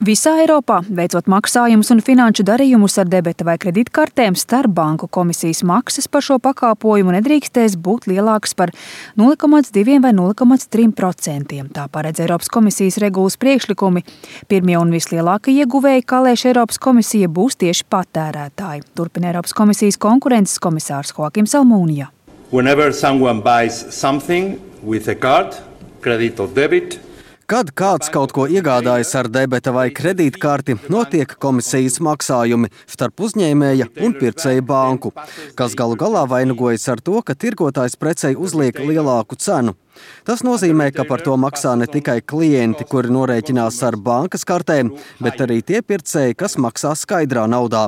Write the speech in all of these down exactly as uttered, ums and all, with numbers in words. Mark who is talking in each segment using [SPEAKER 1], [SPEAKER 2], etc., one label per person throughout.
[SPEAKER 1] Visā Eiropā, veicot maksājumus un finanšu darījumus ar debeta vai kredītkartēm, starpbanku komisijas maksas par šo pakāpojumu nedrīkstēs būt lielākas par nulle komats divi vai nulle komats trīs procenti. Tā paredz Eiropas komisijas regulas priekšlikumi. Pirmie un vislielākie ieguvēji, kā lēš Eiropas komisija, būs tieši patērētāji. Turpina Eiropas komisijas konkurences komisārs Joakims Almūnija.
[SPEAKER 2] Whenever someone buys something with a card, credit or debit,
[SPEAKER 3] Kad kāds kaut ko iegādājas ar debeta vai kredītkarti, notiek komisijas maksājumi starp uzņēmēja un pircēja banku, kas galu galā vainagojas ar to, ka tirgotājs precei uzliek lielāku cenu. Tas nozīmē, ka par to maksā ne tikai klienti, kuri norēķinās ar bankas kartēm, bet arī tie pircēji, kas maksā skaidrā naudā.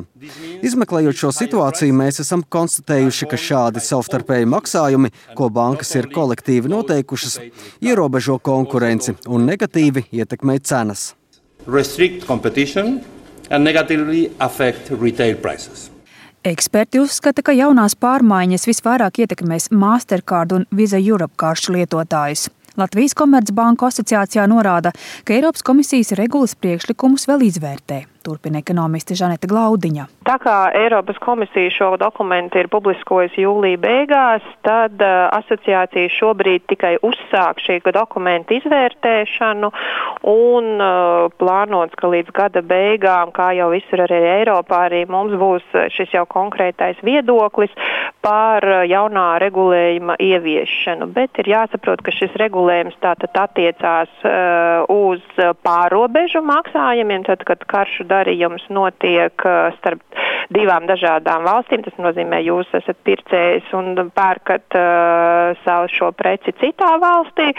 [SPEAKER 3] Izmeklējot šo situāciju, mēs esam konstatējuši, ka šādi savstarpēji maksājumi, ko bankas ir kolektīvi noteikušas, ierobežo konkurenci un negatīvi ietekmē cenas.
[SPEAKER 2] Restrict competition and negatively affect retail prices.
[SPEAKER 1] Eksperti uzskata, ka jaunās pārmaiņas visvairāk ietekmēs Mastercard un Visa Europe karšu lietotājus. Latvijas Komercbanku asociācijā norāda, ka Eiropas komisijas regulas priekšlikumus vēl izvērtē. Turpina ekonomiste Žaneta Glaudiņa.
[SPEAKER 4] Tā kā Eiropas komisija šo dokumentu ir publiskojusi jūlija beigās, tad uh, asociācija šobrīd tikai uzsāk šī dokumenta izvērtēšanu un uh, plānots, ka līdz gada beigām, kā jau visur arī Eiropā, arī mums būs šis jau konkrētais viedoklis par jaunā regulējuma ieviešanu. Bet ir jāsaprot, ka šis regulējums tātad attiecās uh, uz pārobežu maksājumiem, tad, kad karšu darījums notiek starp divām dažādām valstīm. Tas nozīmē, jūs esat pircējs un pērkat uh, savu šo preci citā valstī.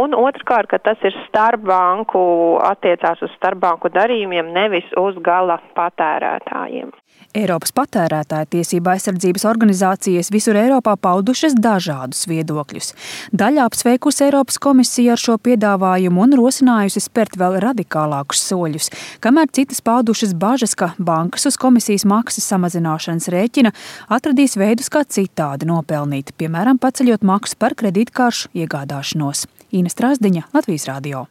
[SPEAKER 4] Un otrkārt, ka tas ir starpbanku, attiecās uz starpbanku darījumiem, nevis uz gala patērētājiem.
[SPEAKER 1] Eiropas patērētāja tiesība aizsardzības organizācijas visur Eiropā paudušas dažādus viedokļus. Daļa apsveikusi Eiropas komisiju ar šo piedāvājumu un rosinājusi spērt vēl radikālākus soļus, kamēr citas paudušas bažas, ka bankas uz komisijas maksas samazināšanas rēķina atradīs veidus, kā citādi nopelnīt, piemēram, paceļot maksu par kredītkaršu iegādāšanos. Ina Strasdiņa, Latvijas radio.